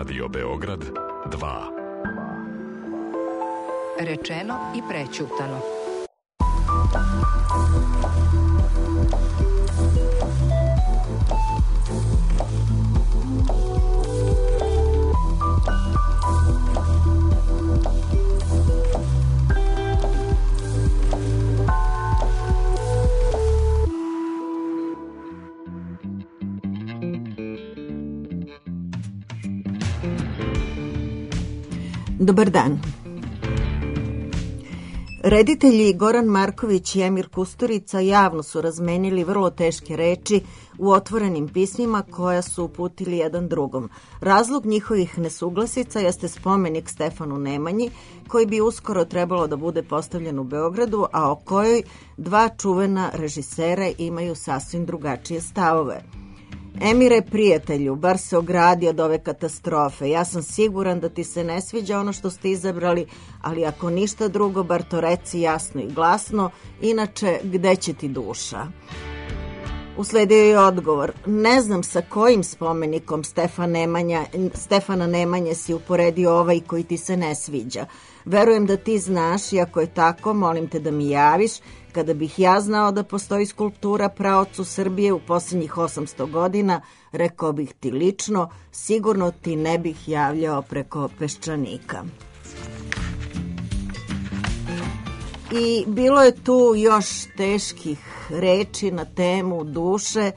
Radio Beograd 2. Rečeno i prećutano. Dobar dan. Reditelji Goran Marković i Emir Kusturica javno su razmenili vrlo teške reči u otvorenim pismima koja su uputili jedan drugom. Razlog njihovih nesuglasica jeste spomenik Stefanu Nemanji, koji bi uskoro trebalo da bude postavljen u Beogradu, a o kojoj dva čuvena režisera imaju sasvim drugačije stavove. Emire, prijatelju, bar se ogradi od ove katastrofe. Ja sam siguran da ti se ne sviđa ono što ste izabrali, ali ako ništa drugo, bar to reci jasno i glasno, inače gde će ti duša? Usledio je odgovor: ne znam sa kojim spomenikom Stefana Nemanje si uporedio ovaj koji ti se ne sviđa. Verujem da ti znaš i ako je tako, molim te da mi javiš. Kada bih ja znao da postoji skulptura praocu Srbije u posljednjih 800 godina, rekao bih ti lično, sigurno ti ne bih javljao preko Peščanika. I bilo je tu još teških reči na temu duše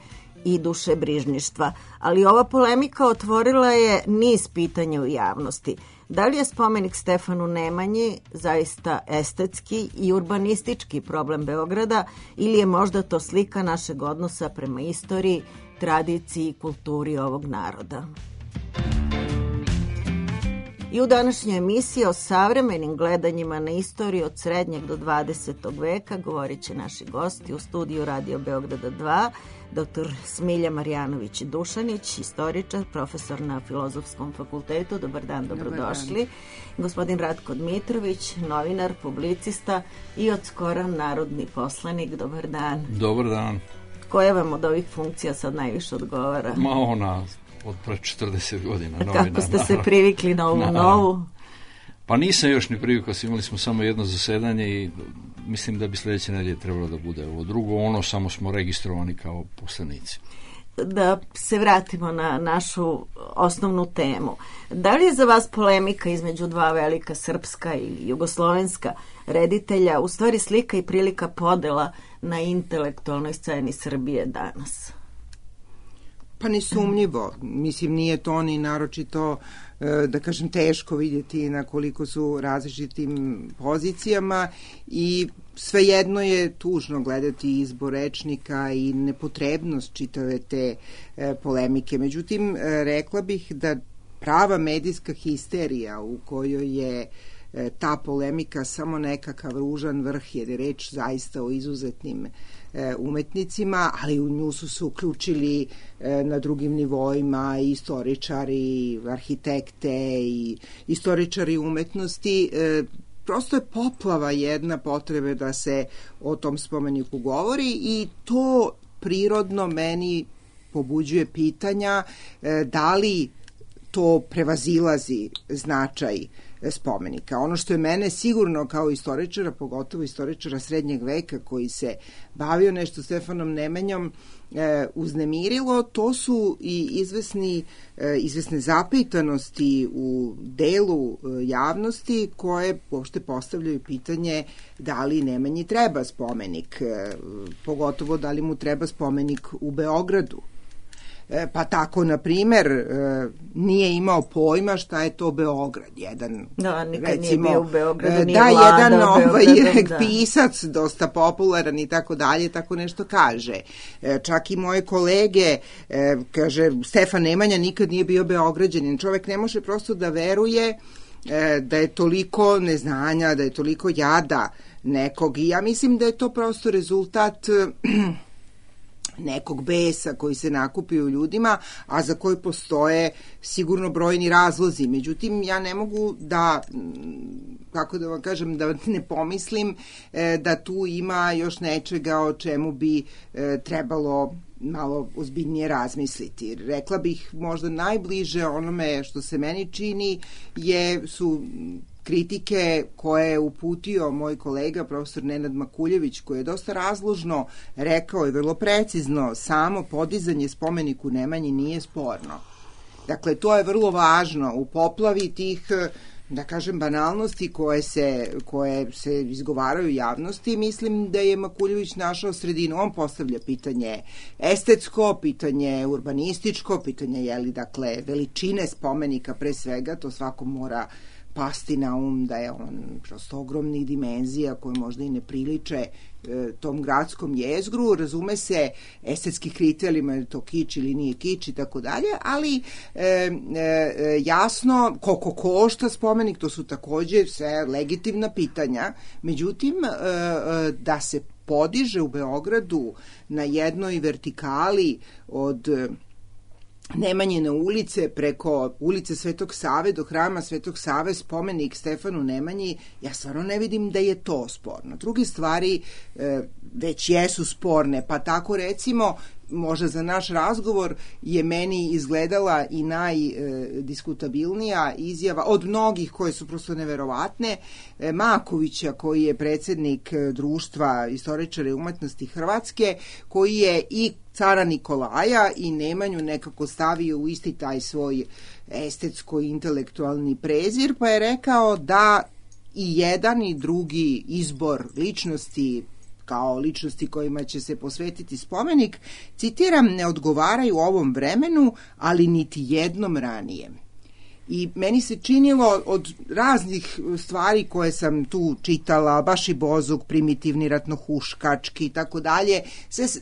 i dušebrižništva, ali ova polemika otvorila je niz pitanja u javnosti. Da li je spomenik Stefanu Nemanji zaista estetski i urbanistički problem Beograda ili je možda to slika našeg odnosa prema istoriji, tradiciji i kulturi ovog naroda? I u današnjoj emisiji o savremenim gledanjima na istoriju od srednjeg do 20. veka govorit će naši gosti u studiju Radio Beograda 2, dr. Smilja Marjanović-Dušanić, istoričar, profesor na Filozofskom fakultetu. Dobar dan, dobrodošli. Gospodin Ratko Dmitrović, novinar, publicista i od skora narodni poslanik. Dobar dan. Dobar dan. Koja vam od ovih funkcija sad najviše odgovara? Ma ona od pre 40 godina. Kako ste se privikli na ovu novu? Pa nisam još ni privikao, imali smo samo jedno zasedanje i mislim da bi sljedeće nedelje trebalo da bude ovo drugo, ono samo smo registrovani kao poslanici. Da se vratimo na našu osnovnu temu. Da li je za vas polemika između dva velika srpska i jugoslovenska reditelja u stvari slika i prilika podela na intelektualnoj sceni Srbije danas? Pa nesumnjivo. Mislim, nije to ni naročito, da kažem, teško vidjeti na koliko su različitim pozicijama i svejedno je tužno gledati izbor rečnika i nepotrebnost čitave te polemike. Međutim, rekla bih da prava medijska histerija u kojoj je ta polemika samo nekakav ružan vrh, jer je reč zaista o izuzetnim umetnicima, ali u nju su se uključili na drugim nivoima i istoričari, arhitekte i istoričari umetnosti. Prosto je poplava jedna potrebe da se o tom spomeniku govori i to prirodno meni pobuđuje pitanja da li to prevazilazi značaj spomenika. Ono što je mene sigurno kao istoričara, pogotovo istoričara srednjeg veka koji se bavio nešto Stefanom Nemanjom, uznemirilo, to su i izvesne zapitanosti u delu javnosti koje uopšte postavljaju pitanje da li Nemanji treba spomenik, pogotovo da li mu treba spomenik u Beogradu. Pa tako, na primer, nije imao pojma šta je to Beograd. Jedan, nikad recimo, nije bio u Beogradu, nije vladao Beogradom. Pisac, dosta popularan i tako dalje, tako nešto kaže. Čak i moje kolege, kaže, Stefan Nemanja nikad nije bio Beograđanin. Čovek ne može prosto da veruje da je toliko neznanja, da je toliko jada nekog. I ja mislim da je to prosto rezultat nekog besa koji se nakupi u ljudima, a za koji postoje sigurno brojni razlozi. Međutim, ja ne mogu da, kako da vam kažem, da ne pomislim da tu ima još nečega o čemu bi trebalo malo ozbiljnije razmisliti. Rekla bih možda najbliže onome što se meni čini su kritike koje je uputio moj kolega profesor Nenad Makuljević, koji je dosta razložno rekao i vrlo precizno, samo podizanje spomeniku Nemanji nije sporno. Dakle, to je vrlo važno u poplavi tih, da kažem, banalnosti koje se izgovaraju u javnosti. Mislim da je Makuljević našao sredinu. On postavlja pitanje estetsko, pitanje urbanističko, pitanje veličine spomenika pre svega, to svako mora pasti na da je on prosto ogromnih dimenzija koje možda i ne priliče tom gradskom jezgru, razume se estetski kriterijima, je to kič ili nije kič i tako dalje, ali jasno koliko košta spomenik, to su takođe sve legitimna pitanja. Međutim, da se podiže u Beogradu na jednoj vertikali od Nemanjine ulice preko ulice Svetog Save do hrama Svetog Save spomenik Stefanu Nemanji, ja stvarno ne vidim da je to sporno. Druge stvari već jesu sporne, pa tako recimo možda za naš razgovor je meni izgledala i najdiskutabilnija izjava od mnogih koje su prosto neverovatne, Makovića, koji je predsjednik Društva istoričara i umetnosti Hrvatske, koji je i cara Nikolaja i Nemanju nekako stavio u isti taj svoj estetsko-intelektualni prezir, pa je rekao da i jedan i drugi izbor ličnosti kao ličnosti kojima će se posvetiti spomenik, citiram, ne odgovaraju ovom vremenu, ali niti jednom ranijem. I meni se činilo od raznih stvari koje sam tu čitala, baš i Bozuk, primitivni ratnohuškački i tako dalje,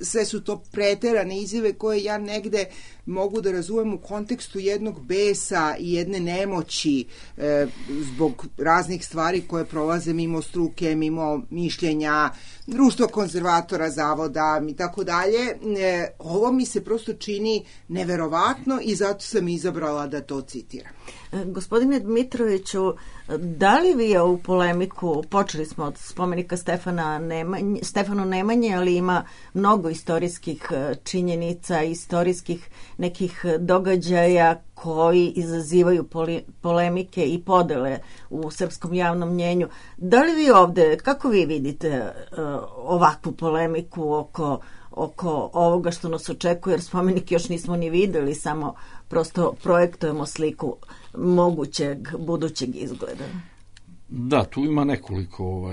sve su to preterane izjave koje ja negde mogu da razumem u kontekstu jednog besa i jedne nemoći zbog raznih stvari koje prolaze mimo struke, mimo mišljenja, društva konzervatora, zavoda i tako dalje. Ovo mi se prosto čini neverovatno i zato sam izabrala da to citiram. Gospodine Dmitroviću, da li vi ovu polemiku, počeli smo od spomenika Stefanu Nemanji, ali ima mnogo istorijskih činjenica, istorijskih nekih događaja koji izazivaju polemike i podele u srpskom javnom mnjenju. Da li vi ovde, kako vi vidite ovakvu polemiku oko ovoga što nas očekuje, jer spomenik još nismo ni videli, samo prosto projektujemo sliku mogućeg budućeg izgleda? Da, tu ima nekoliko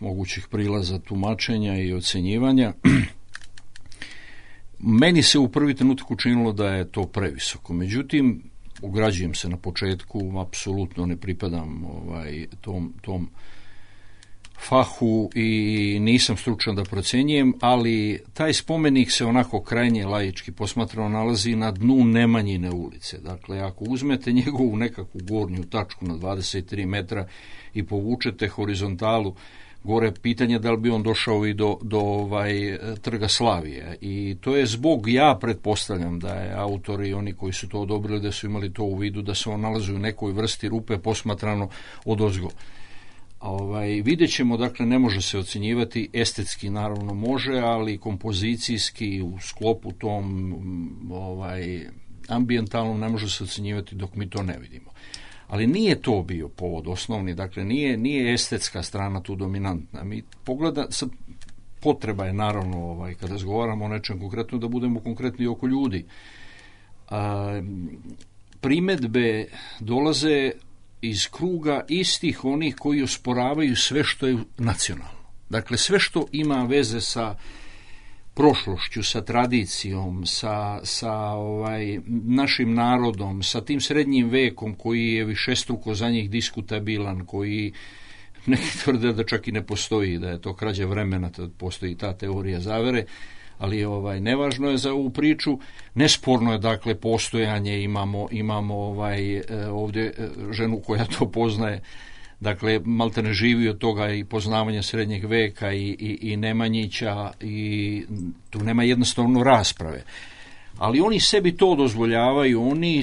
mogućih prilaza tumačenja i ocenjivanja. Meni se u prvi trenutak učinilo da je to previsoko. Međutim, ograđujem se na početku, apsolutno ne pripadam tom fahu i nisam stručan da procenjujem, ali taj spomenik se onako krajnje laički posmatrano nalazi na dnu Nemanjine ulice. Dakle, ako uzmete njegovu nekakvu gornju tačku na 23 metra i povučete horizontalu gore, pitanje da li bi on došao i do Trga Slavije. I to je zbog, ja pretpostavljam da je autori i oni koji su to odobrili da su imali to u vidu, da se on nalazi u nekoj vrsti rupe posmatrano odozgo. Vidjet ćemo, dakle, ne može se ocjenjivati, estetski naravno može, ali kompozicijski u sklopu tom ambijentalnom ne može se ocjenjivati dok mi to ne vidimo. Ali nije to bio povod osnovni, dakle nije estetska strana tu dominantna. Mi potreba je naravno kada razgovaramo o nečem konkretno da budemo konkretni oko ljudi. Primedbe dolaze iz kruga istih onih koji osporavaju sve što je nacionalno. Dakle, sve što ima veze sa prošlošću, sa tradicijom, sa našim narodom, sa tim srednjim vekom koji je višestruko za njih diskutabilan, koji neki tvrde da čak i ne postoji, da je to krađa vremena, da postoji ta teorija zavere, ali nevažno je za ovu priču. Nesporno je, dakle, postojanje, imamo ovdje ženu koja to poznaje, dakle, malte ne živi od toga i poznavanja srednjeg veka i Nemanjića, i tu nema jednostavno rasprave. Ali oni sebi to dozvoljavaju, oni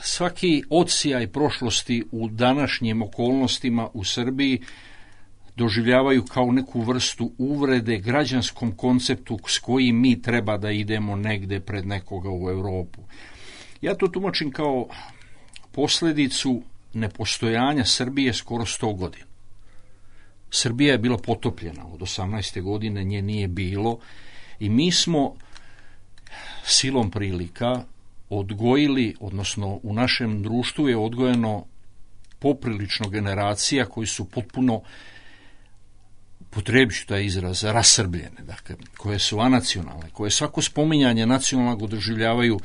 svaki odsjaj prošlosti u današnjim okolnostima u Srbiji doživljavaju kao neku vrstu uvrede građanskom konceptu s kojim mi treba da idemo negde pred nekoga u Europu. Ja to tumačim kao posljedicu nepostojanja Srbije skoro 100 godina. Srbija je bila potopljena od 18. godine, nje nije bilo i mi smo silom prilika odgojili, odnosno u našem društvu je odgojeno poprilično generacija koji su potpuno, potrebit ću taj izraz, rasrbljene, dakle, koje su anacionalne, koje svako spominjanje nacionalnog doživljavaju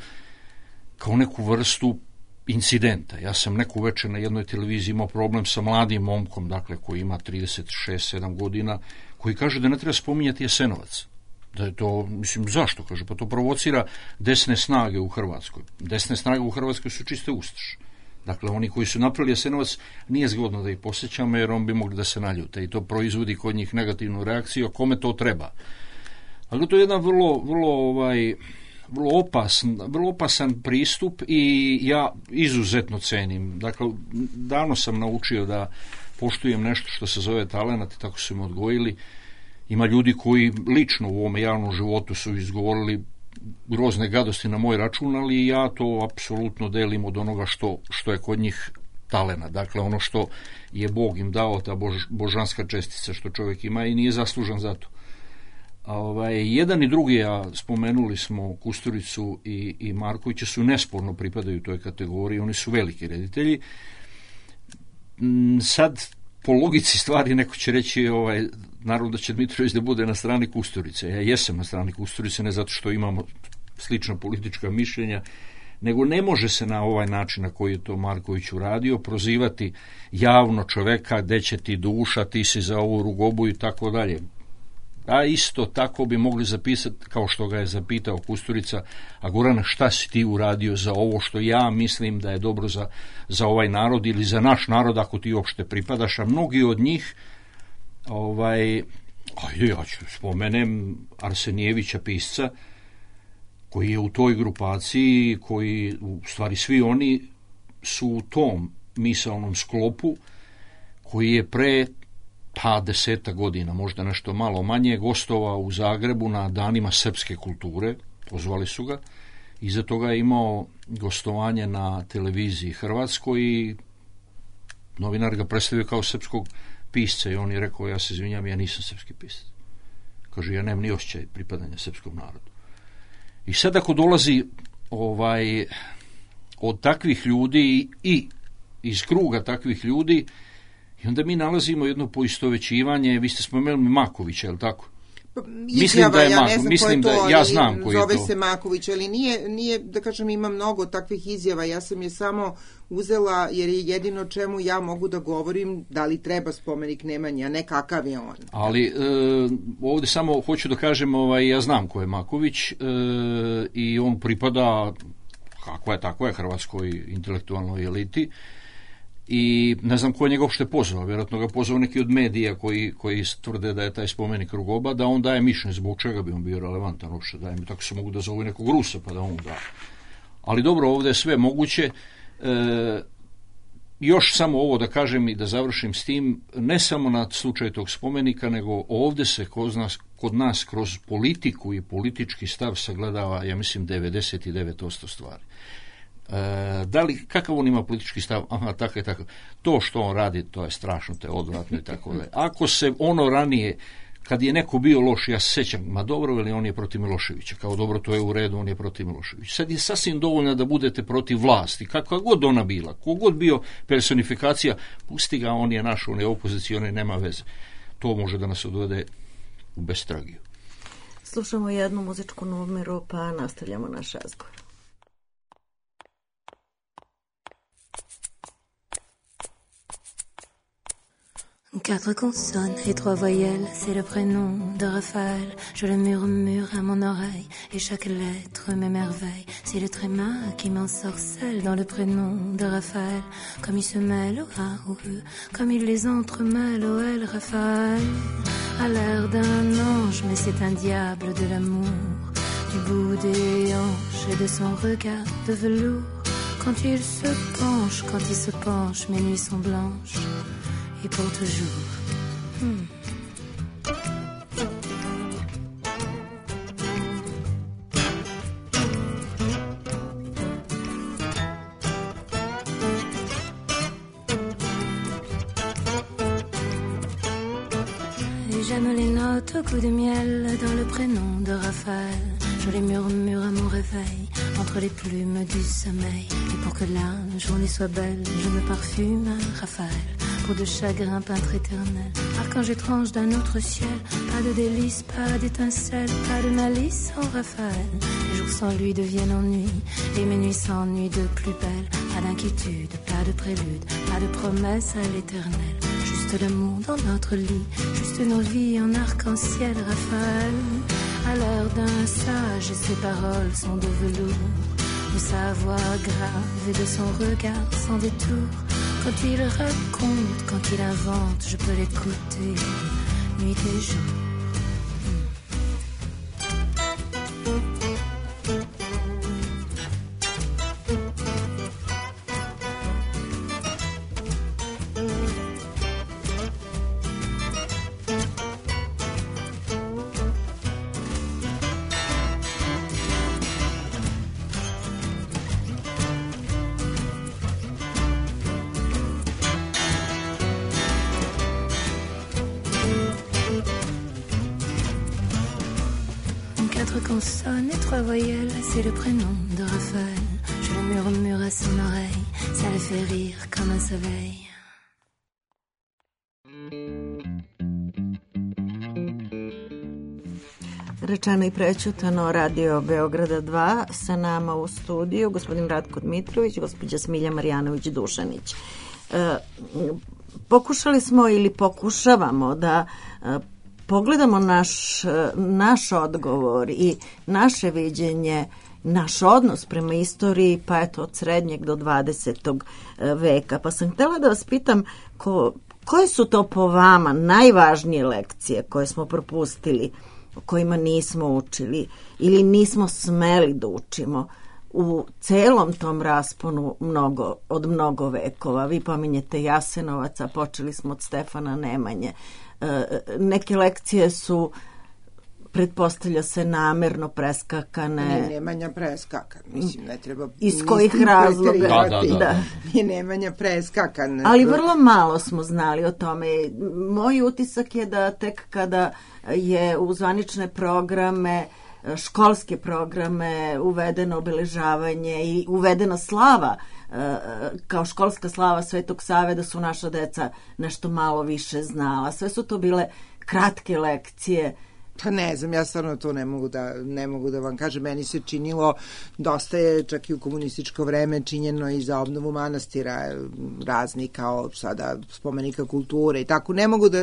kao neku vrstu incidenta. Ja sam neku večer na jednoj televiziji imao problem sa mladim momkom, dakle, koji ima 36-7 godina, koji kaže da ne treba spominjati Jasenovac. Da je to, mislim, zašto? Kaže, pa to provocira desne snage u Hrvatskoj. Desne snage u Hrvatskoj su čiste ustaše. Dakle, oni koji su napravili Jasenovac, nije zgodno da ih posjećamo, jer on bi mogli da se naljute i to proizvodi kod njih negativnu reakciju, kome to treba. Ali to je jedan vrlo opasan pristup i ja izuzetno cenim. Dakle, davno sam naučio da poštujem nešto što se zove talenat i tako su me odgojili. Ima ljudi koji lično u ovom javnom životu su izgovorili grozne gadosti na moj račun, ali ja to apsolutno delim od onoga što je kod njih talena. Dakle, ono što je Bog im dao, ta božanska čestica što čovjek ima i nije zaslužan za to. Jedan i drugi, a spomenuli smo Kusturicu i Markovića, su nesporno pripadaju toj kategoriji, oni su veliki reditelji. Sad, po logici stvari, neko će reći naravno da će Dmitrović da bude na strani Kusturice. Ja jesam na strani Kusturice, ne zato što imamo slična politička mišljenja, nego ne može se na ovaj način na koji je to Marković uradio prozivati javno čoveka, gde će ti duša, ti si za ovu rugobu i tako dalje. A isto tako bi mogli zapisati, kao što ga je zapitao Kusturica, a Gorana, šta si ti uradio za ovo što ja mislim da je dobro za ovaj narod ili za naš narod, ako ti uopšte pripadaš, a mnogi od njih ja ću spomenem Arsenijevića, pisca, koji je u toj grupaciji, koji, u stvari svi oni su u tom misaonom sklopu, koji je pre 10 godina, možda nešto malo manje, gostovao u Zagrebu na danima srpske kulture, pozvali su ga, iza toga je imao gostovanje na televiziji Hrvatskoj i novinar ga predstavio kao srpskog pisca i on je rekao, ja se izvinjam, ja nisam srpski pisac. Kaže, ja nemam ni osjećaj pripadanja srpskom narodu. I sad ako dolazi od takvih ljudi i iz kruga takvih ljudi, i onda mi nalazimo jedno poistovećivanje, vi ste spomenuli Makovića, je li tako? Mislim da je ja ne znam mislim ko je to, ja znam koji je to. Zove se Maković, ali nije, da kažem, ima mnogo takvih izjava, ja sam je samo uzela jer je jedino čemu ja mogu da govorim da li treba spomenik Nemanje, a ne kakav je on. Ali ovdje samo hoću da kažem, ja znam ko je Maković i on pripada, kako je hrvatskoj intelektualnoj eliti, i ne znam ko je njega uopšte pozvao, vjerojatno ga pozvao neki od medija koji tvrde da je taj spomenik rugoba, da on daje mišljenje zbog čega bi on bio relevantan uopšte, daje mi, tako se mogu da zovu nekog Rusa pa da on da. Ali dobro, ovdje je sve moguće. Još samo ovo da kažem i da završim s tim, ne samo na slučaju tog spomenika, nego ovdje se kod nas kroz politiku i politički stav sagledava, ja mislim, 99% stvari. Kakav on ima politički stav? Aha, tako je tako. To što on radi, to je strašno, to je odvratno i tako da. Ako se ono ranije, kad je neko bio loš, ja se sjećam, ma dobro, ili on je protiv Miloševića, kao dobro, to je u redu, on je protiv Miloševića. Sad je sasvim dovoljno da budete protiv vlasti, kakva god ona bila, kogod bio personifikacija, pusti ga, on je naš, on je opozicioni, nema veze. To može da nas odvede u bestragiju. Slušamo jednu muzičku numeru, pa nastavljamo naš razgovor. Quatre consonnes et 3 voyelles, c'est le prénom de Raphaël. Je le murmure à mon oreille et chaque lettre m'émerveille. C'est le tréma qui m'ensorcelle dans le prénom de Raphaël. Comme il se mêle au A, au E, comme il les entremêle au L. Raphaël a l'air d'un ange, mais c'est un diable de l'amour. Du bout des hanches et de son regard de velours. Quand il se penche, mes nuits sont blanches. Et pour toujours, J'aime les notes au coup de miel dans le prénom de Raphaël. Je les murmure à mon réveil entre les plumes du sommeil. Et pour que la journée soit belle, je me parfume à Raphaël. Peau de chagrin, peintre éternel, archange étrange d'un autre ciel. Pas de délices, pas d'étincelles, pas de malice en Raphaël. Les jours sans lui deviennent ennui et mes nuits s'ennuient de plus belle. Pas d'inquiétude, pas de prélude, pas de promesse à l'éternel. Juste l'amour dans notre lit, juste nos vies en arc-en-ciel, Raphaël. À l'heure d'un sage, ses paroles sont de velours, de sa voix grave et de son regard sans détour. Quand il raconte, quand il invente, je peux l'écouter nuit et jour. Consonne et 3 voyelles, c'est le prénom de Raphaël. Je le murmure à son oreille, ça le fait rire comme un soleil. Rečeno i prećutano, Radio Beograda 2, sa nama u studiju gospodin Ratko Dmitrović, gospođa Smilja Marjanović-Dušanić. Pokušali smo ili pokušavamo da pogledamo naš odgovor i naše viđenje, naš odnos prema istoriji, pa eto od srednjeg do 20. veka. Pa sam htjela da vas pitam koje su to po vama najvažnije lekcije koje smo propustili, o kojima nismo učili ili nismo smeli da učimo u celom tom rasponu od mnogo vekova. Vi pominjete Jasenovac, a počeli smo od Stefana Nemanje. Neke lekcije su, pretpostavlja se, namerno preskakane. Nemanja preskakan, mislim, ne treba... Iz kojih razloga? Da. Nije Nemanja preskakan. Ali vrlo malo smo znali o tome. Moj utisak je da tek kada je u zvanične programe, školske programe uvedeno obeležavanje i uvedena slava kao školska slava Svetog Save, da su naša deca nešto malo više znala. Sve su to bile kratke lekcije. Pa ne znam, ja stvarno to ne mogu da vam kažem. Meni se činilo, dosta je čak i u komunističko vreme činjeno i za obnovu manastira, razni kao sada spomenika kulture i tako.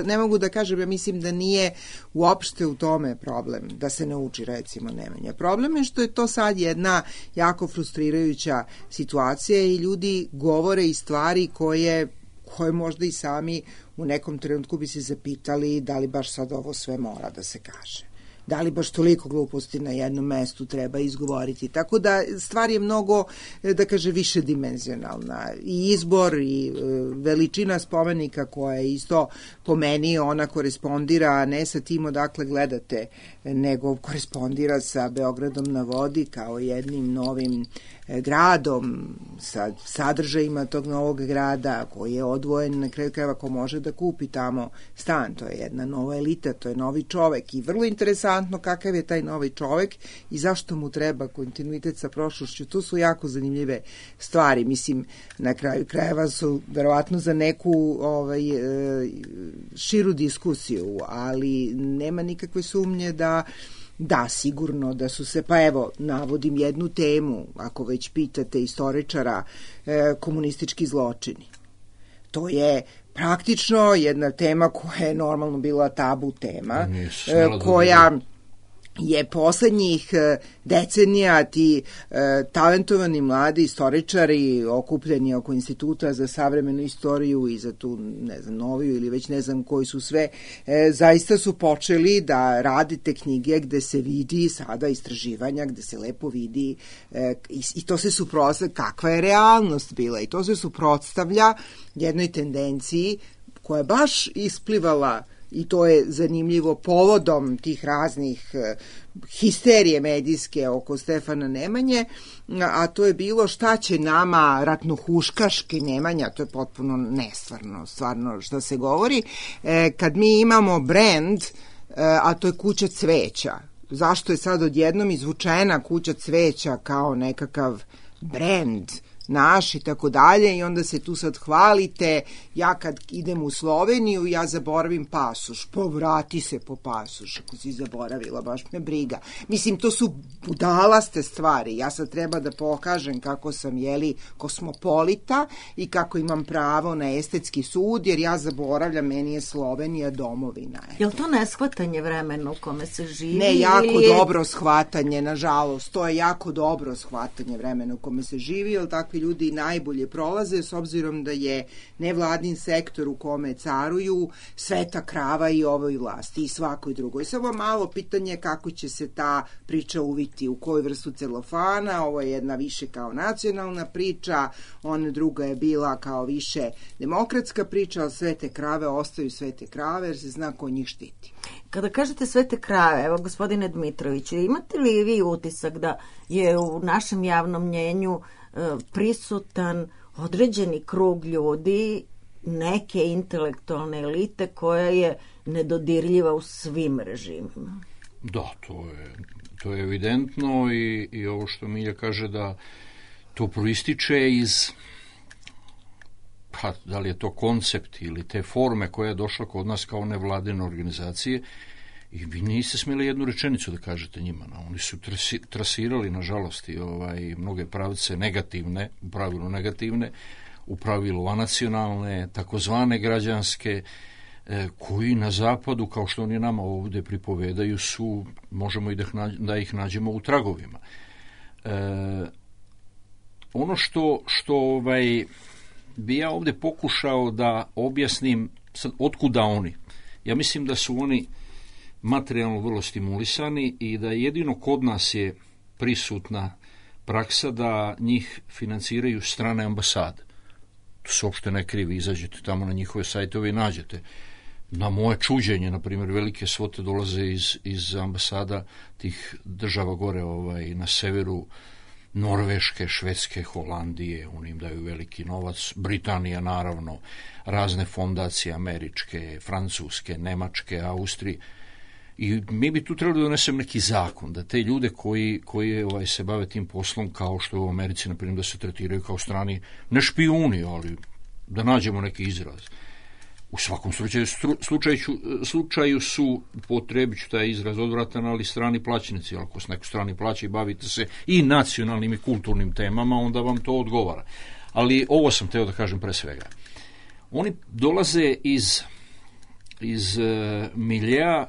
Ne mogu da kažem, ja mislim da nije uopšte u tome problem da se ne uči, recimo, Nemanja. Problem je što je to sad jedna jako frustrirajuća situacija i ljudi govore i stvari koje možda i sami u nekom trenutku bi se zapitali da li baš sad ovo sve mora da se kaže. Da li baš toliko gluposti na jednom mestu treba izgovoriti. Tako da stvar je mnogo, da kaže, više dimenzionalna. I izbor i veličina spomenika koja je isto po meni, ona korespondira ne sa tim odakle gledate, nego korespondira sa Beogradom na vodi kao jednim novim gradom, sa sadržajima tog novog grada koji je odvojen, na kraju krajeva ko može da kupi tamo stan. To je jedna nova elita, to je novi čovek i vrlo interesantno kakav je taj novi čovek i zašto mu treba kontinuitet sa prošlošću. To su jako zanimljive stvari. Mislim, na kraju krajeva su verovatno za neku širu diskusiju, ali nema nikakve sumnje da, sigurno da su se, pa evo, navodim jednu temu, ako već pitate istoričara, komunistički zločini. To je praktično jedna tema koja je normalno bila tabu tema, koja je poslednjih decenija ti talentovani mladi istoričari okupljeni oko Instituta za savremenu istoriju i za tu, ne znam, noviju ili već ne znam koji su sve, zaista su počeli da radite knjige gde se vidi sada istraživanja, gde se lepo vidi i to se suprotstavlja, kakva je realnost bila i to se suprotstavlja jednoj tendenciji koja je baš isplivala i to je zanimljivo povodom tih raznih histerije medijske oko Stefana Nemanje, a to je bilo šta će nama ratnohuškaški Nemanja, to je potpuno nestvarno, stvarno što se govori, kad mi imamo brend, a to je Kuća cveća. Zašto je sad odjednom izvučena Kuća cveća kao nekakav brend naš i tako dalje, i onda se tu sad hvalite, ja kad idem u Sloveniju, ja zaboravim pasoš, povrati se po pasoš, ako si zaboravila, baš me briga. Mislim, to su budalaste stvari, ja sad treba da pokažem kako sam, kosmopolita i kako imam pravo na estetski sud, jer ja zaboravljam, meni je Slovenija domovina. Je li to neshvatanje vremena u kome se živi? Ne, jako dobro shvatanje, nažalost, to je jako dobro shvatanje vremena u kome se živi, jer takvi ljudi najbolje prolaze, s obzirom da je nevladin sektor u kome caruju sveta krava i ovoj vlasti i svakoj drugoj. Samo malo pitanje kako će se ta priča uviti, u koju vrstu celofana. Ovo je jedna više kao nacionalna priča, ona druga je bila kao više demokratska priča, ali svete krave ostaju svete krave jer se zna ko njih štiti. Kada kažete svete krave, evo gospodine Dmitroviću, imate li vi utisak da je u našem javnom mnjenju prisutan određeni krug ljudi, neke intelektualne elite koja je nedodirljiva u svim režimima? Da, to je evidentno i ovo što Milja kaže da to proističe iz, da li je to koncept ili te forme koja je došla kod nas kao nevladine organizacije, i vi niste smjeli jednu rečenicu da kažete njima. Oni su trasirali, nažalost, i mnoge pravce negativne, u pravilu anacionalne, takozvane građanske, koji na zapadu, kao što oni nama ovdje pripovedaju, su, možemo i da ih nađemo u tragovima. Ono što bi ja ovdje pokušao da objasnim, sad, otkuda oni. Ja mislim da su oni materijalno vrlo stimulisani i da jedino kod nas je prisutna praksa da njih financiraju strane ambasade. To se uopšte ne krivi, izađete tamo na njihove sajtove i nađete. Na moje čuđenje, na primjer, velike svote dolaze iz ambasada tih država gore na severu, Norveške, Švedske, Holandije, oni im daju veliki novac, Britanija naravno, razne fondacije američke, francuske, nemačke, Austrije. I mi bi tu trebali da donesem neki zakon, da te ljude koji se bave tim poslom, kao što je u Americi, na primjer, da se tretiraju kao strani, ne špijuni, ali da nađemo neki izraz. U svakom slučaju su, potrebit ću taj izraz odvratan, ali strani plaćenici. Ako se neko strani plaća i bavite se i nacionalnim i kulturnim temama, onda vam to odgovara. Ali ovo sam teo da kažem pre svega. Oni dolaze iz miljea,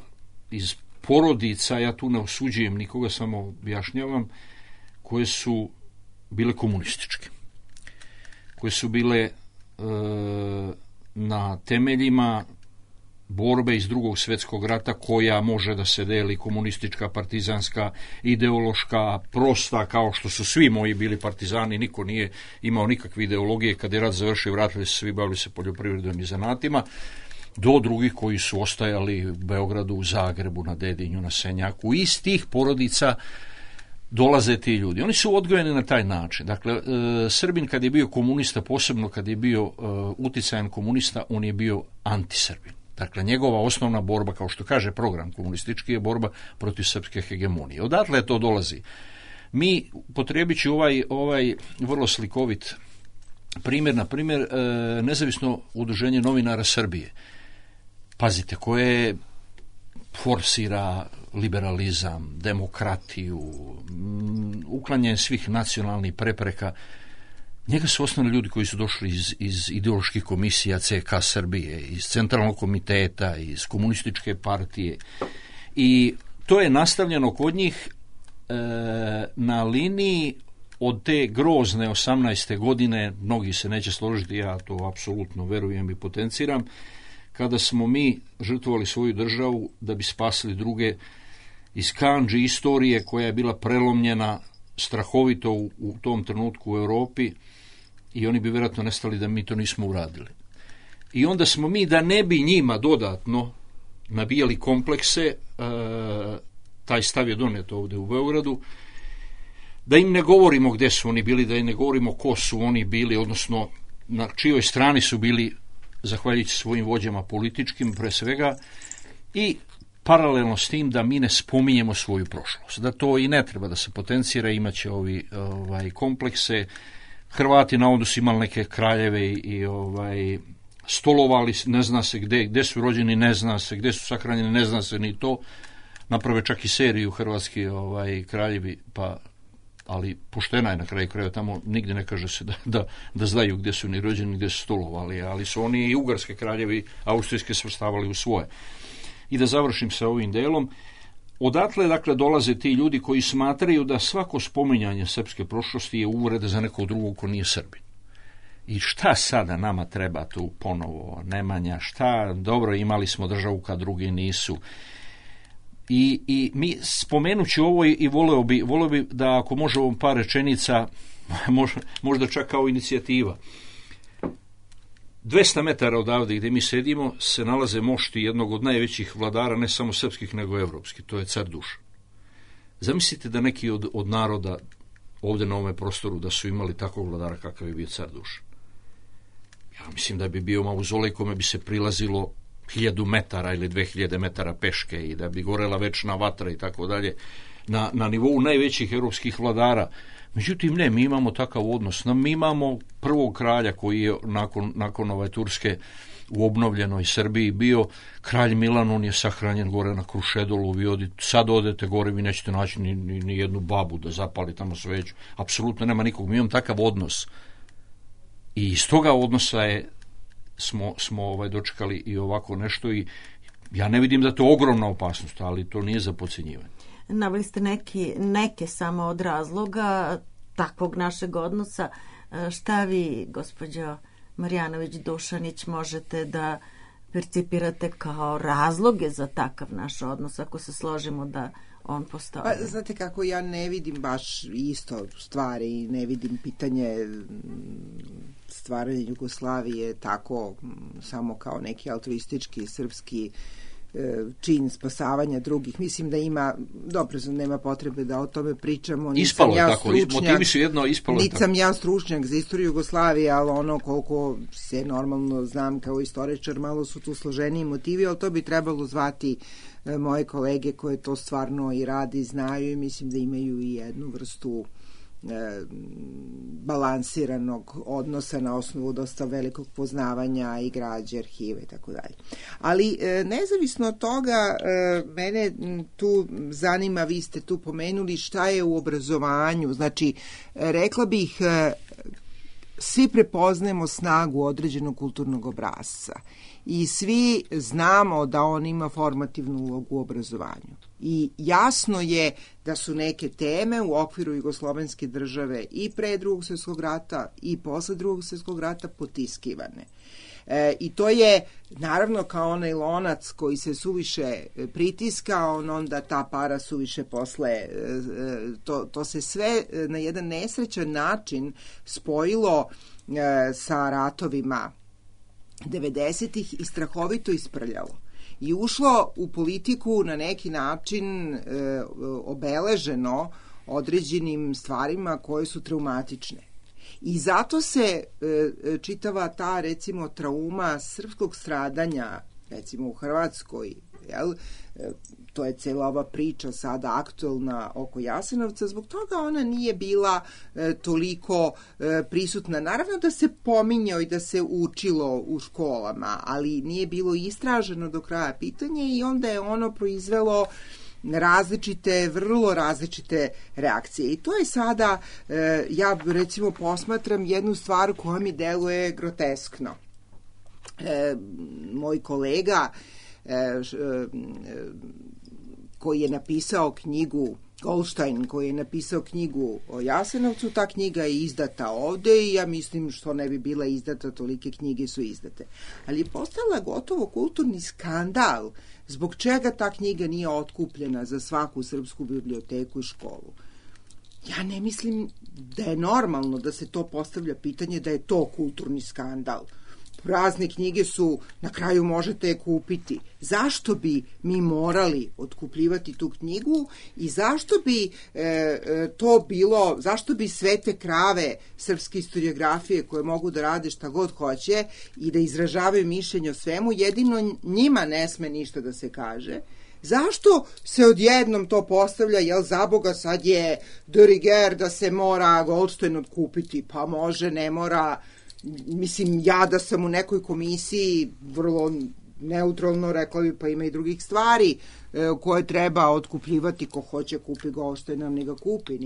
iz porodica, ja tu ne osuđujem nikoga, samo objašnjavam, koje su bile komunističke, koje su bile na temeljima borbe iz Drugog svjetskog rata, koja može da se deli komunistička, partizanska, ideološka, prosta, kao što su svi moji bili partizani, niko nije imao nikakve ideologije, kad je rat završio, vratili se svi, bavili se poljoprivredom i zanatima, do drugih koji su ostajali u Beogradu, u Zagrebu, na Dedinju, na Senjaku. Iz tih porodica dolaze ti ljudi. Oni su odgojeni na taj način. Dakle, Srbin kad je bio komunista, posebno kad je bio uticajan komunista, on je bio antisrbin. Dakle, njegova osnovna borba, kao što kaže program komunistički, je borba protiv srpske hegemonije. Odatle to dolazi. Mi, potrebići ovaj vrlo slikovit primjer, na primjer, Nezavisno udruženje novinara Srbije, pazite, koje forsira liberalizam, demokratiju, uklanjanje svih nacionalnih prepreka, njega su osnovni ljudi koji su došli iz ideoloških komisija CK Srbije, iz Centralnog komiteta, iz komunističke partije, i to je nastavljeno kod njih na liniji od te grozne 18. godine, mnogi se neće složiti, ja to apsolutno verujem i potenciram, kada smo mi žrtvovali svoju državu da bi spasili druge, iz kandži istorije koja je bila prelomljena strahovito u tom trenutku u Europi, i oni bi vjerojatno nestali da mi to nismo uradili. I onda smo mi, da ne bi njima dodatno nabijali komplekse, taj stav je donet ovde u Beogradu, da im ne govorimo gde su oni bili, da im ne govorimo ko su oni bili, odnosno na čijoj strani su bili, zahvaljujući svojim vođama političkim pre svega, i paralelno s tim da mi ne spominjemo svoju prošlost. Da to i ne treba da se potencira, imaće komplekse. Hrvati navodno su imali neke kraljeve i stolovali, ne zna se gde su rođeni, ne zna se gde su sahranjeni, ne zna se ni to. Naprave čak i seriju hrvatski kraljevi, ali poštena je na kraju krajeva, tamo nigde ne kaže se da znaju gde su ni rođeni, gde su stolovali, ali su oni i ugarske kraljevi, austrijske svrstavali u svoje. I da završim sa ovim delom, odatle dakle dolaze ti ljudi koji smatraju da svako spominjanje srpske prošlosti je uvreda za nekog drugog ko nije Srbin. I šta sada nama treba tu ponovo, Nemanja, šta, dobro, imali smo državu kad drugi nisu. I mi spomenući ovo i voleo bi da ako može ovom par rečenica, možda čak kao inicijativa. 200 metara odavde gde mi sedimo se nalaze mošti jednog od najvećih vladara, ne samo srpskih nego evropskih, to je car Dušan. Zamislite da neki od naroda ovde na ovome prostoru da su imali takvog vladara kakav je bio car Dušan. Ja mislim da bi bio mauzolej kome bi se prilazilo 1000 metara ili 2000 metara peške i da bi gorela večna vatra i tako dalje na nivou najvećih evropskih vladara. Međutim, ne, mi imamo takav odnos. Mi imamo prvog kralja koji je nakon Turske u obnovljenoj Srbiji bio kralj Milan, on je sahranjen gore na Krušedolu, sad odete gore, vi nećete naći ni jednu babu da zapali tamo sveću, apsolutno nema nikog, mi imamo takav odnos. I iz toga odnosa smo dočekali i ovako nešto i ja ne vidim da je to ogromna opasnost, ali to nije za podcenjivanje. Naveli ste neke samo od razloga takvog našeg odnosa. Šta vi, gospođo Marjanović-Dušanić, možete da percipirate kao razloge za takav naš odnos, ako se složimo da on postoji? Pa, znate kako, ja ne vidim baš isto stvari, ne vidim pitanje stvaranja Jugoslavije tako samo kao neki altruistički srpski čin spasavanja drugih. Mislim da ima, dobro, nema potrebe da o tome pričamo. Ispalo je tako, motivi su jedno, ispalo je tako. Nisam ja stručnjak za istoriju Jugoslavije, ali ono koliko se normalno znam kao istoričar, malo su tu složeniji motivi, ali to bi trebalo zvati moje kolege koje to stvarno i radi, znaju i mislim da imaju i jednu vrstu balansiranog odnosa na osnovu dosta velikog poznavanja i građe, arhive i tako dalje. Ali nezavisno od toga, mene tu zanima, vi ste tu pomenuli šta je u obrazovanju. Znači, rekla bih, svi prepoznajemo snagu određenog kulturnog obrasca i svi znamo da on ima formativnu ulogu u obrazovanju. I jasno je da su neke teme u okviru jugoslovenske države i pre Drugog svjetskog rata i posle Drugog svjetskog rata potiskivane. I to je naravno kao onaj lonac koji se suviše pritiska, onda ta para suviše posle, to se sve na jedan nesrećan način spojilo sa ratovima 90-ih i strahovito isprljalo. I ušlo u politiku na neki način obeleženo određenim stvarima koje su traumatične. I zato se čitava ta, recimo, trauma srpskog stradanja, recimo u Hrvatskoj, to je cela ova priča sada aktuelna oko Jasenovca, zbog toga ona nije bila toliko prisutna. Naravno da se pominjao i da se učilo u školama, ali nije bilo istraženo do kraja pitanje i onda je ono proizvelo vrlo različite reakcije. I to je sada, ja recimo posmatram jednu stvar koja mi deluje groteskno. Moj kolega koji je napisao knjigu, Goldstein, koji je napisao knjigu o Jasenovcu, ta knjiga je izdata ovde i ja mislim što ne bi bila izdata, tolike knjige su izdate. Ali je postala gotovo kulturni skandal zbog čega ta knjiga nije otkupljena za svaku srpsku biblioteku i školu. Ja ne mislim da je normalno da se to postavlja pitanje da je to kulturni skandal. razne knjige su, na kraju možete je kupiti. Zašto bi mi morali otkupljivati tu knjigu i zašto bi to bilo, zašto bi sve te krave srpske historiografije koje mogu da rade šta god hoće i da izražavaju mišljenje o svemu, jedino njima ne sme ništa da se kaže. Zašto se odjednom to postavlja, jel za Boga sad je de rigueur da se mora Goldstein otkupiti, pa može, ne mora. Mislim, ja da sam u nekoj komisiji vrlo neutralno rekla bi, pa ima i drugih stvari koje treba otkupljivati. Ko hoće kupi Goldsteina, ne ga kupi,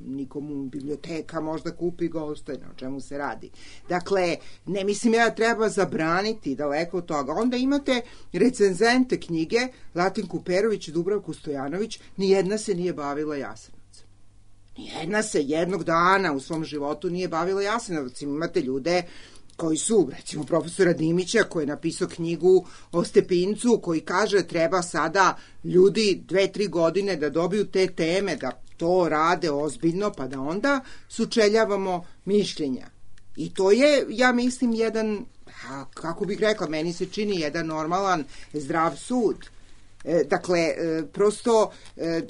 nikom biblioteka možda kupi Goldsteina, o čemu se radi. Dakle, ne mislim ja treba zabraniti, daleko od toga. Onda imate recenzente knjige, Latinku Perović i Dubravku Stojanović, nijedna se nije bavila Jasenovcem. Nijedna se jednog dana u svom životu nije bavila Jasenovcem. Imate ljude koji su, recimo profesora Dimića koji je napisao knjigu o Stepincu, koji kaže treba sada ljudi 2-3 godine da dobiju te teme, da to rade ozbiljno, pa da onda sučeljavamo mišljenja. I to je, ja mislim, jedan, kako bih rekla, meni se čini jedan normalan, zdrav sud. Dakle, prosto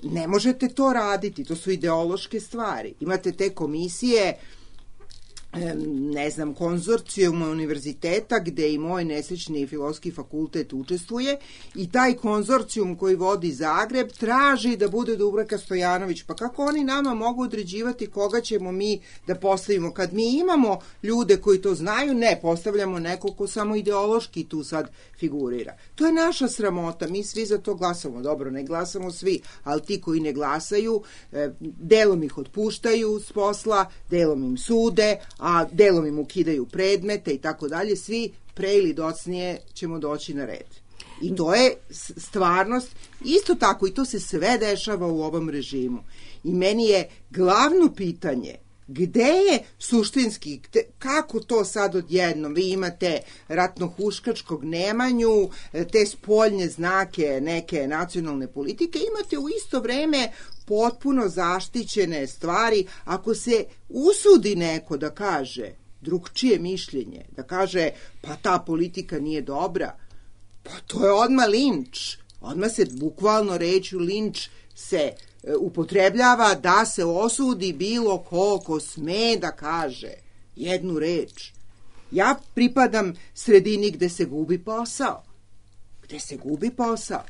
ne možete to raditi, to su ideološke stvari. Imate te komisije, ne znam, konzorcijuma univerziteta gde i moj nesrećni filozofski fakultet učestvuje i taj konzorcijum koji vodi Zagreb traži da bude Dubravka Stojanović. Pa kako oni nama mogu određivati koga ćemo mi da postavimo? Kad mi imamo ljude koji to znaju, ne, postavljamo nekog ko samo ideološki tu sad figurira. To je naša sramota, mi svi za to glasamo. Dobro, ne glasamo svi, ali ti koji ne glasaju, delom ih otpuštaju s posla, delom im sude, a delom im ukidaju predmete i tako dalje, svi pre ili docnije ćemo doći na red. I to je stvarnost, isto tako, i to se sve dešava u ovom režimu. I meni je glavno pitanje, gde je suštinski, kako to sad odjednom, vi imate ratno-huškačkog Nemanju, te spoljne znake neke nacionalne politike, imate u isto vreme potpuno zaštićene stvari. Ako se usudi neko da kaže drugčije mišljenje, da kaže pa ta politika nije dobra, pa to je odmah linč. Odmah se bukvalno rečju linč se upotrebljava da se osudi bilo ko sme da kaže jednu reč. Ja pripadam sredini gde se gubi posao. Gde se gubi posao.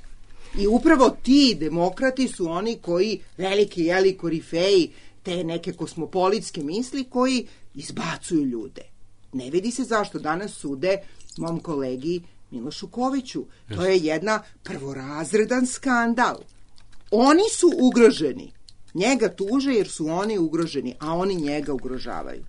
I upravo ti demokrati su oni koji, veliki korifeji, te neke kosmopolitske misli, koji izbacuju ljude. Ne vidi se zašto danas sude mom kolegi Milošu Koviću. To je jedna prvorazredan skandal. Oni su ugroženi. Njega tuže jer su oni ugroženi, a oni njega ugrožavaju.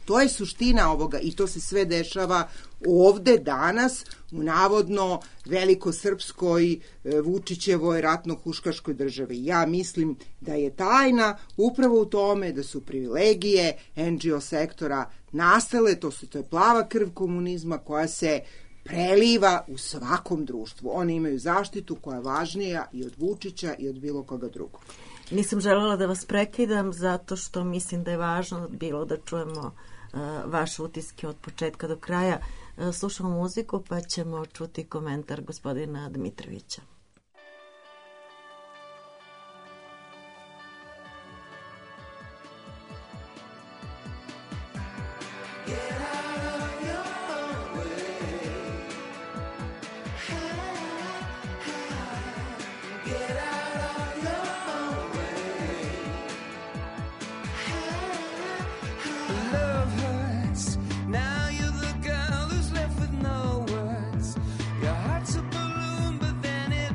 To je suština ovoga i to se sve dešava ovde danas u navodno velikosrpskoj Vučićevoj ratno-huškaškoj državi. Ja mislim da je tajna upravo u tome da su privilegije NGO sektora nastale, to je plava krv komunizma koja se preliva u svakom društvu. Oni imaju zaštitu koja je važnija i od Vučića i od bilo koga drugog. Nisam želela da vas prekidam zato što mislim da je važno bilo da čujemo vaše utiske od početka do kraja. Slušamo muziku pa ćemo čuti komentar gospodina Dmitrovića. Now you're the girl who's left with no words. Your heart's a balloon, but then it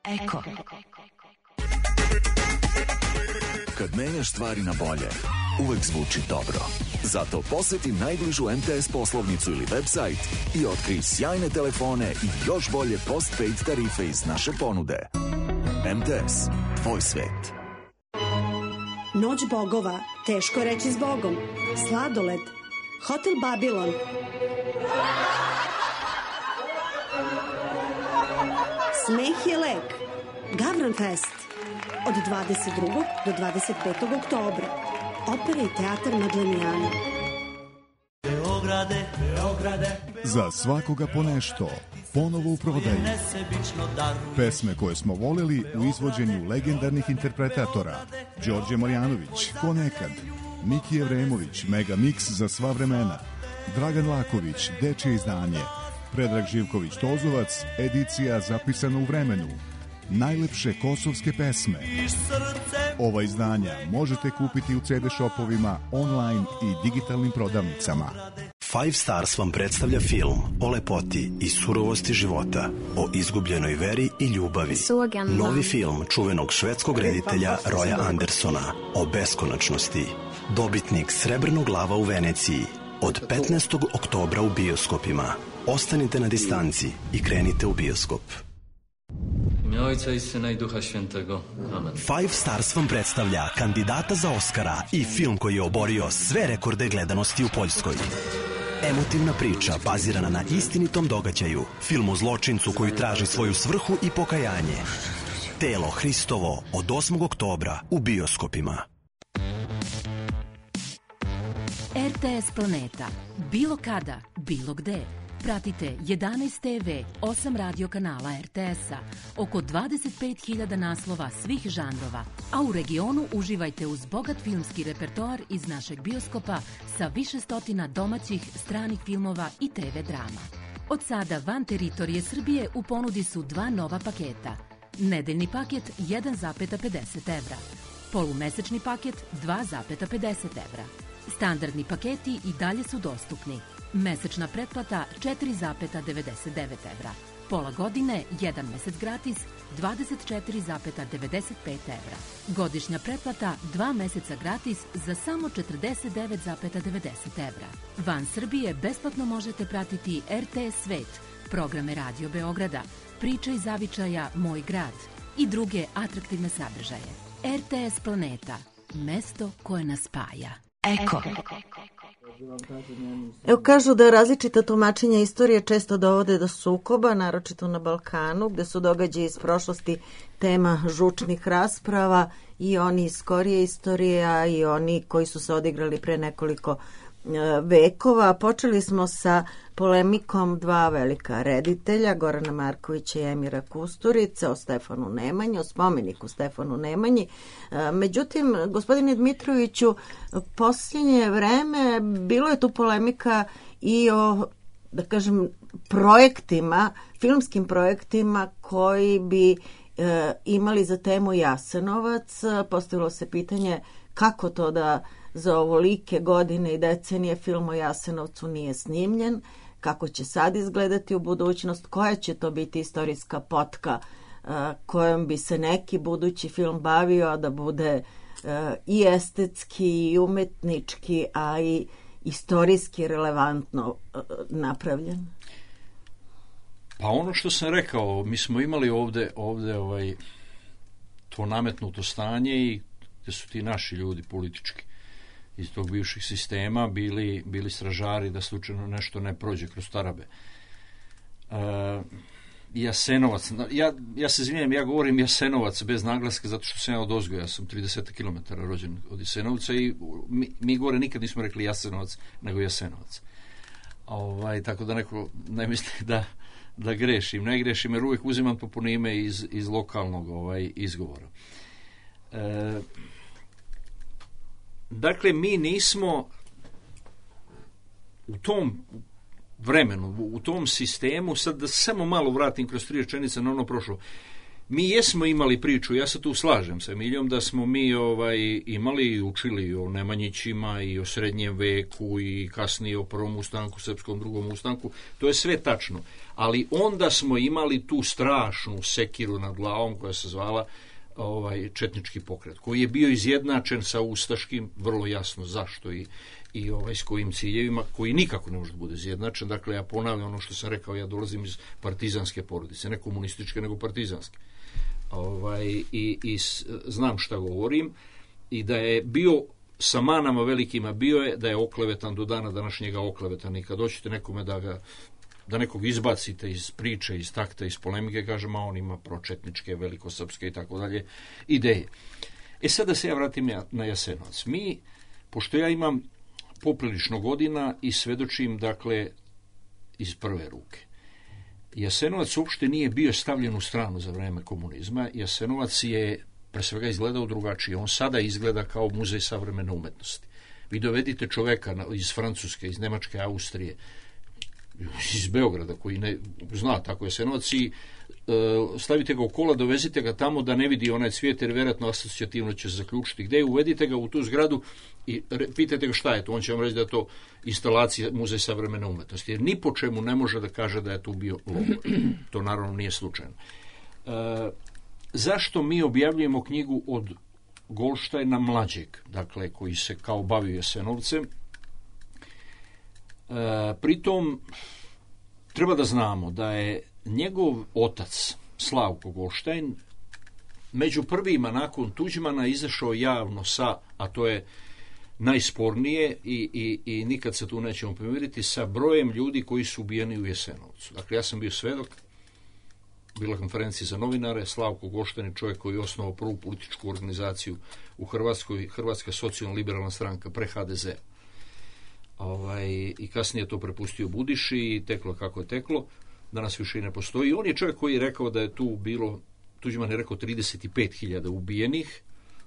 Eko. Kad menjaš stvari na bolje, uvek zvuči dobro. Zato poseti najbližu MTS poslovnicu ili website i otkrij sjajne telefone i još bolje postpaid tarife iz naše ponude. MTS, tvoj svet. Noć bogova, teško reći zbogom. Sladoled, Hotel Babilon. Smeh je lek. Gavran Fest. Od 22. do 25. oktobra. Opera i teatar Maglemijana. Beograde, Beograde. Za svakoga po nešto. Ponovo u prodaju. Pesme koje smo voleli u izvođenju legendarnih interpretatora. Đorđe Marjanović, Ko nekad. Miki Evremović, Mega Mix za sva vremena. Dragan Laković, Dečje izdanje. Predrag Živković Tozovac, edicija zapisana u vremenu. Najlepše kosovske pesme. Ova izdanja možete kupiti u CD shopovima, online i digitalnim prodavnicama. Five Stars vam predstavlja film o lepoti i surovosti života, o izgubljenoj veri i ljubavi. Novi film čuvenog švedskog reditelja Roya Andersona o beskonačnosti. Dobitnik Srebrnog lava u Veneciji. Od 15. oktobra u bioskopima. Ostanite na distanci i krenite u bioskop. Imię Ojca i Syna i Ducha Świętego. Amen. Five Stars vam predstavlja kandidata za Oscara i film koji je oborio sve rekorde gledanosti u Poljskoj. Emotivna priča bazirana na istinitom događaju. Film o zločincu koji traži svoju svrhu i pokajanje. Telo Hristovo od 8. oktobra u bioskopima. RTS Planeta. Bilo kada, bilo gde. Pratite 11 TV, 8 radio kanala RTS-a, oko 25.000 naslova svih žanrova, a u regionu uživajte uz bogat filmski repertoar iz našeg bioskopa sa više stotina domaćih, stranih filmova i TV drama. Od sada van teritorije Srbije u ponudi su dva nova paketa. Nedeljni paket 1,50 evra, polumesečni paket 2,50 evra. Standardni paketi i dalje su dostupni. Mesečna pretplata 4,99 evra. Pola godine, 1 mesec gratis, 24,95 evra. Godišnja pretplata 2 meseca gratis za samo 49,90 evra. Van Srbije besplatno možete pratiti RTS Svet, programe Radio Beograda, Priče iz zavičaja Moj grad i druge atraktivne sadržaje. RTS Planeta, mesto koje nas spaja. Eko. Evo, kažu da različita tumačenja istorije često dovode do sukoba, naročito na Balkanu, gde su događaji iz prošlosti tema žučnih rasprava, i oni iz skorije istorije, a i oni koji su se odigrali pre nekoliko vekova. Počeli smo sa polemikom dva velika reditelja, Gorana Markovića i Emira Kusturice, o Stefanu Nemanji, o spomeniku Stefanu Nemanji. Međutim, gospodine Dmitroviću, posljednje vreme bilo je tu polemika i o, da kažem, projektima, filmskim projektima koji bi imali za temu Jasenovac. Postavilo se pitanje kako to da za ovolike godine i decenije film o Jasenovcu nije snimljen, kako će sad izgledati u budućnost, koja će to biti istorijska potka kojom bi se neki budući film bavio, da bude i estetski i umetnički, a i istorijski relevantno napravljen. Pa ono što sam rekao, mi smo imali ovde to nametnuto stanje i gde su ti naši ljudi politički iz tog bivših sistema bili stražari da slučajno nešto ne prođe kroz tarabe. Jasenovac, ja se izvinjam, ja govorim Jasenovac bez naglaska zato što sam ja odozgo, ja sam 30 km rođen od Jasenovca i mi gore nikad nismo rekli Jasenovac, nego Jasenovac. Tako da neko ne misli da grešim. Ne grešim jer uvijek uzimam toponime iz lokalnog izgovora. Dakle, mi nismo u tom vremenu, u tom sistemu, sad da samo malo vratim kroz 3 rečenice na ono prošlo, Mi jesmo imali priču, ja se tu slažem sa Emilijom, da smo mi imali i učili o Nemanjićima i o srednjem veku i kasnije o prvom ustanku, srpskom drugom ustanku, to je sve tačno. Ali onda smo imali tu strašnu sekiru nad glavom koja se zvala četnički pokret, koji je bio izjednačen sa ustaškim, vrlo jasno zašto i s kojim ciljevima, koji nikako ne može da bude izjednačen. Dakle, ja ponavljam ono što sam rekao, ja dolazim iz partizanske porodice, ne komunističke, nego partizanske. I znam šta govorim, i da je bio sa manama velikima, bio je da je oklevetan do dana današnjega oklevetan, i kad hoćete nekome da nekog izbacite iz priče, iz takta, iz polemike, kažem, a on ima pročetničke, velikosrpske i tako dalje ideje. Sad da se ja vratim na Jasenovac. Pošto ja imam poprilično godina i svedočim, dakle, iz prve ruke. Jasenovac uopšte nije bio stavljen u stranu za vreme komunizma. Jasenovac je pre svega izgledao drugačije. On sada izgleda kao muzej savremene umetnosti. Vi dovedite čoveka iz Francuske, iz Nemačke, Austrije, iz Beograda, koji ne zna tako Jasenovac, i stavite ga u kola, dovezite ga tamo da ne vidi onaj cvijet, jer vjerojatno asocijativno će se zaključiti gde je, uvedite ga u tu zgradu i pitajte ga šta je to, on će vam reći da je to instalacija muzej savremene umetnosti, jer ni po čemu ne može da kaže da je tu bio logor. To naravno nije slučajno. Zašto mi objavljujemo knjigu od Goldštajna mlađeg, dakle, koji se kao bavio Jasenovcem? Pritom treba da znamo da je njegov otac Slavko Goldštajn među prvima nakon Tuđmana izašao javno sa, a to je najspornije i nikad se tu nećemo pomiriti, sa brojem ljudi koji su ubijeni u Jasenovcu. Dakle, ja sam bio svedok, bila konferencija za novinare, Slavko Goldštajn je čovjek koji je osnovao prvu političku organizaciju u Hrvatskoj, Hrvatska socijalno-liberalna stranka, pre HDZ. I kasnije to prepustio Budiši i teklo kako je teklo, danas više i ne postoji. On je čovjek koji je rekao da je tu bilo, Tuđman je rekao 35.000 ubijenih,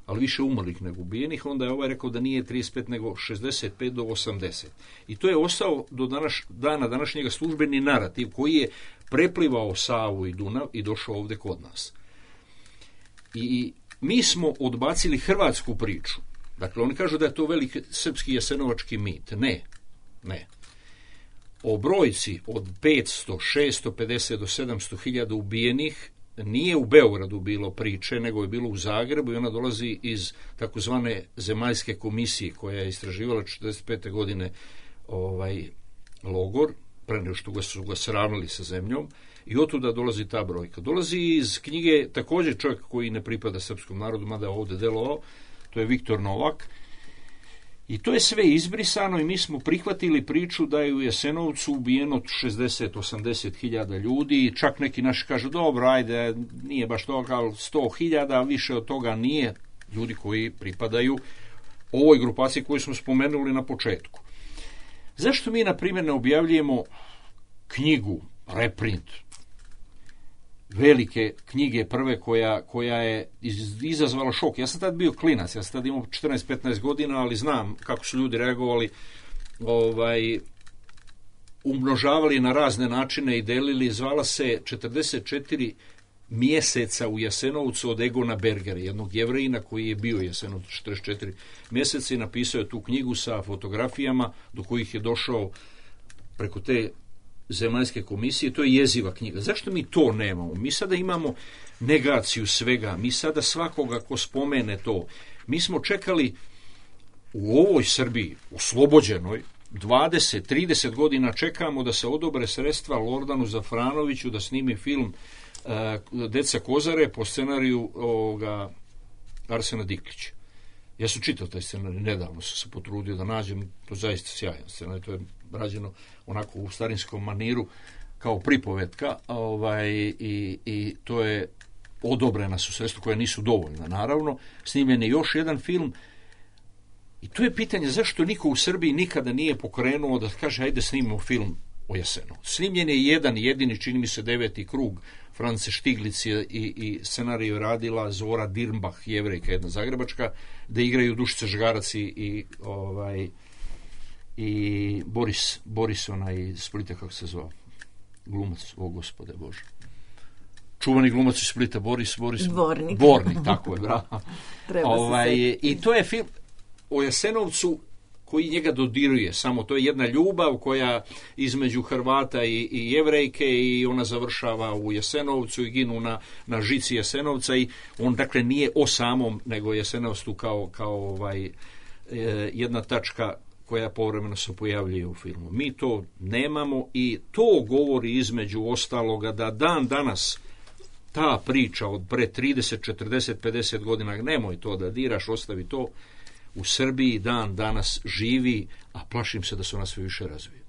ali više umrlih nego ubijenih, onda je ovaj rekao da nije 35 nego 65 do 80. I to je ostao do dana današnjega službeni narativ koji je preplivao Savu i Dunav i došao ovdje kod nas. I mi smo odbacili hrvatsku priču. Dakle, oni kažu da je to veliki srpski jasenovački mit. Ne. O brojci od 500, 650 do 700.000 ubijenih nije u Beogradu bilo priče, nego je bilo u Zagrebu, i ona dolazi iz takozvane zemaljske komisije koja je istraživala 45. godine logor, pre nego što su ga sravnili sa zemljom, i otuda dolazi ta brojka. Dolazi iz knjige također čovjek koji ne pripada srpskom narodu, mada je ovdje delovao, to je Viktor Novak, i to je sve izbrisano i mi smo prihvatili priču da je u Jasenovcu ubijeno 60-80.000 ljudi, i čak neki naši kažu, dobro, ajde, nije baš toga, ali 100.000, više od toga nije, ljudi koji pripadaju ovoj grupaciji koju smo spomenuli na početku. Zašto mi, na primjer, ne objavljujemo knjigu, reprint, velike knjige prve koja je izazvala šok? Ja sam tad bio klinac, ja sam tad imao 14-15 godina, ali znam kako su ljudi reagovali, umnožavali na razne načine i delili. Zvala se 44 mjeseca u Jasenovcu od Egona Bergera, jednog Jevrejina koji je bio u Jasenovcu 44 mjeseca, i napisao je tu knjigu sa fotografijama do kojih je došao preko te zemaljske komisije. To je jeziva knjiga. Zašto mi to nemamo? Mi sada imamo negaciju svega, mi sada svakoga ko spomene to. Mi smo čekali u ovoj Srbiji, oslobođenoj, 20-30 godina čekamo da se odobre sredstva Lordanu Zafranoviću da snimi film Deca Kozare po scenariju Arsena Diklića. Ja sam čitao taj scenarij, nedavno sam se potrudio da nađem, to je zaista sjajan scenarij, to je rađeno onako u starinskom maniru kao pripovetka, i to je odobrena su sredstva koja nisu dovoljna, naravno. Snimljen je još jedan film, i to je pitanje zašto niko u Srbiji nikada nije pokrenuo da kaže ajde snimimo film o Jasenovcu. Snimljen je jedan jedini, čini mi se 9. krug, France Štiglic i scenariju radila Zora Dirnbach, Jevrejka jedna zagrebačka, da igraju Dušica Žgarac i Boris onaj iz Splita, kako se zvao, glumac, o gospode Bože, čuvani glumac iz Splita, Boris Dvornik, tako je, bravo. I to je film o Jasenovcu koji njega dodiruje, samo to je jedna ljubav koja između Hrvata i Jevrejke i ona završava u Jasenovcu i ginu na žici Jasenovca i on dakle nije o samom, nego Jasenovac tu kao jedna tačka koja povremeno se pojavljuje u filmu. Mi to nemamo i to govori između ostaloga da dan danas ta priča od pre 30, 40, 50 godina, nemoj to da diraš, ostavi to, u Srbiji dan danas živi, a plašim se da se ona sve više razvije.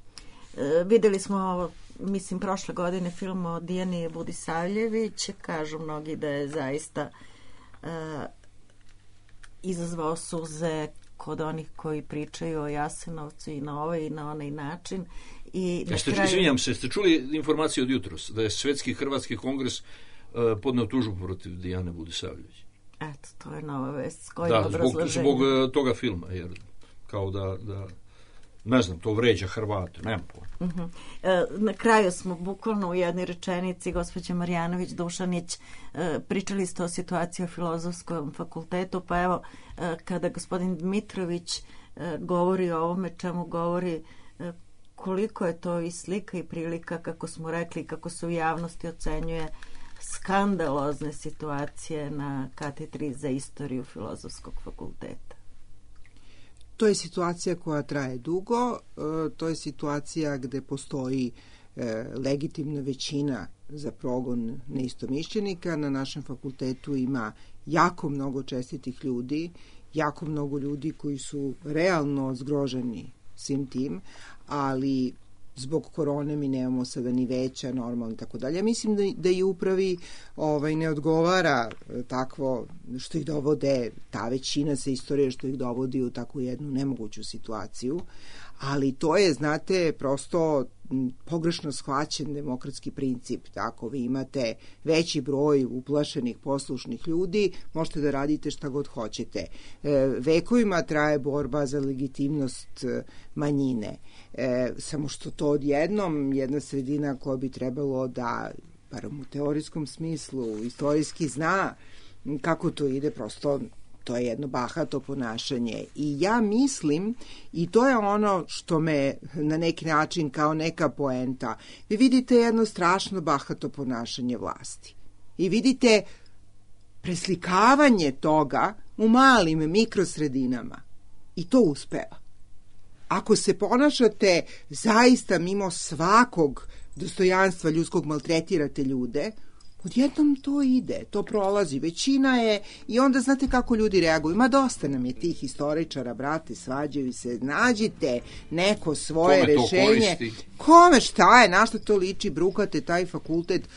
Videli smo, mislim, prošle godine film o Dijani Budisavljević, kažu mnogi da je zaista izazvao suze kod onih koji pričaju o Jasenovcu i na ovaj i na onaj način. Izvinjam se, ste čuli informaciju od jutros da je Svetski hrvatski kongres podneo tužbu protiv Dijane Budisavljević? Eto, to je nova vest. S kojim obrazloženjem? Zbog toga filma, jer kao da ne znam, to vređa Hrvate, nemam pojma. Na kraju smo bukvalno u jednoj rečenici, gospođa Marjanović Dušanić, pričali ste o situaciji o Filozofskom fakultetu, pa evo, kada gospodin Dmitrović govori o ovome čemu govori, koliko je to i slika i prilika, kako smo rekli, kako se u javnosti ocenjuje skandalozne situacije na katedri za istoriju Filozofskog fakulteta. To je situacija koja traje dugo, to je situacija gde postoji legitimna većina za progon neistomišljenika. Na našem fakultetu ima jako mnogo čestitih ljudi, jako mnogo ljudi koji su realno zgroženi svim tim, ali zbog korone mi nemamo sada ni veća, normalno i tako dalje. Mislim da i upravi ne odgovara takvo što ih dovode, ta većina sa istorije što ih dovodi u takvu jednu nemoguću situaciju, ali to je, znate, prosto pogrešno shvaćen demokratski princip. Tako, vi imate veći broj uplašenih, poslušnih ljudi, možete da radite šta god hoćete. Vekovima traje borba za legitimnost manjine. Samo što to odjednom jedna sredina koja bi trebalo da, barem u teorijskom smislu, istorijski zna kako to ide, prosto to je jedno bahato ponašanje. I ja mislim, i to je ono što me na neki način kao neka poenta, vi vidite jedno strašno bahato ponašanje vlasti. I vidite preslikavanje toga u malim mikrosredinama. I to uspeva. Ako se ponašate zaista mimo svakog dostojanstva ljudskog, maltretirate ljude, odjednom to ide, to prolazi, većina je, i onda znate kako ljudi reaguju. Ma dosta nam je tih historičara, brate, svađaju se, nađite neko svoje rešenje. Kome šta je, na što to liči, brukate taj fakultet?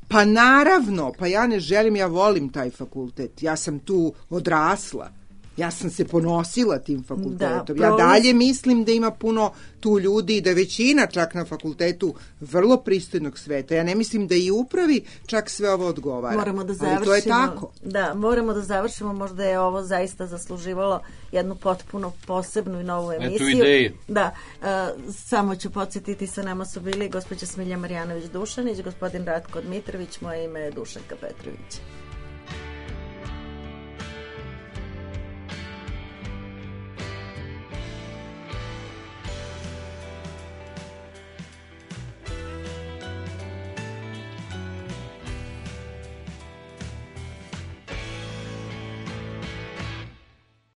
Pa naravno, pa ja ne želim, ja volim taj fakultet, ja sam tu odrasla. Ja sam se ponosila tim fakultetom. Ja dalje mislim da ima puno tu ljudi i da većina čak na fakultetu vrlo pristojnog sveta. Ja ne mislim da i upravi čak sve ovo odgovara. Moramo da završimo. Ali to je tako. Da, moramo da završimo. Možda je ovo zaista zasluživalo jednu potpuno posebnu i novu emisiju. Eto ideje. Da, samo ću podsjetiti, sa nama su bili gospođa Smilja Marjanović Dušanić, gospodin Ratko Dmitrović, moje ime je Dušanka Petrović.